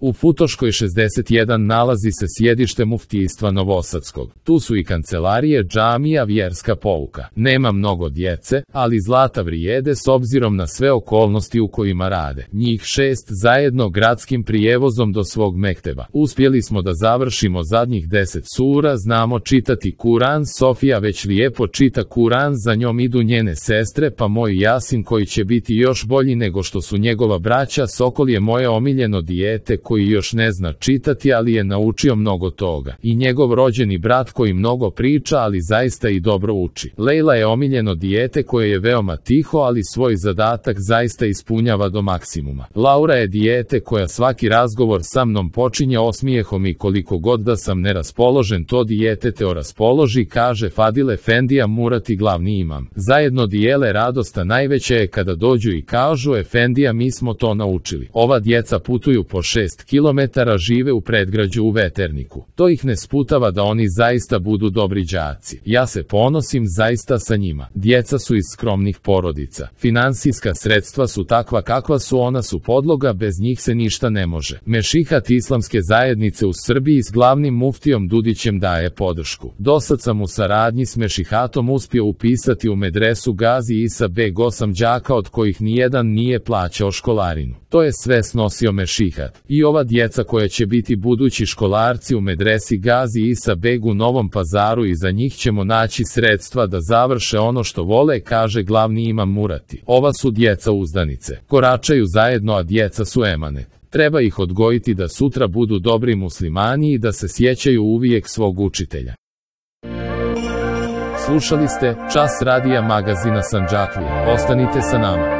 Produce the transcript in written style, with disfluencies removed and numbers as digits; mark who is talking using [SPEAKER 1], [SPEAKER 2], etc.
[SPEAKER 1] U Futoškoj 61 nalazi se sjedište muftijstva Novosadskog. Tu su i kancelarije, džamija, vjerska pouka. Nema mnogo djece, ali zlata vrijede s obzirom na sve okolnosti u kojima rade. Njih 6 zajedno gradskim prijevozom do svog mekteba. Uspjeli smo da završimo zadnjih 10 sura, znamo čitati Kuran, Sofija već lijepo čita Kuran, za njom idu njene sestre, pa moj Jasin koji će biti još bolji nego što su njegova braća. Sokol je moje omiljeno dijete koji još ne zna čitati, ali je naučio mnogo toga. I njegov rođeni brat koji mnogo priča, ali zaista i dobro uči. Lejla je omiljeno dijete koje je veoma tiho, ali svoj zadatak zaista ispunjava do maksimuma. Laura je dijete koja svaki razgovor sa mnom počinje osmijehom i koliko god da sam neraspoložen, to dijete te raspoloži, kaže Fadil Efendija Murati, glavni imam. Zajedno dijele radost, a najveća je kada dođu i kažu: Efendija, mi smo to naučili. Ova djeca putuju po 6 kilometara, žive u predgrađu u Veterniku. To ih ne sputava da oni zaista budu dobri đaci. Ja se ponosim zaista sa njima. Djeca su iz skromnih porodica. Finansijska sredstva su takva kakva su, ona su podloga, bez njih se ništa ne može. Mešihat islamske zajednice u Srbiji s glavnim muftijom Dudićem daje podršku. Dosad sam u saradnji s Mešihatom uspio upisati u medresu Gazi Isa beg 8 đaka, od kojih nijedan nije plaćao školarinu. To je sve snosio Mešihat. I ova djeca koja će biti budući školarci u medresi Gazi Isa beg u Novom Pazaru, i za njih ćemo naći sredstva da završe ono što vole, kaže glavni imam Murati. Ova su djeca uzdanice. Koračaju zajedno, a djeca su emanet. Treba ih odgojiti da sutra budu dobri muslimani i da se sjećaju uvijek svog učitelja. Slušali ste Čas radija magazina Sandžaklija. Ostanite sa nama.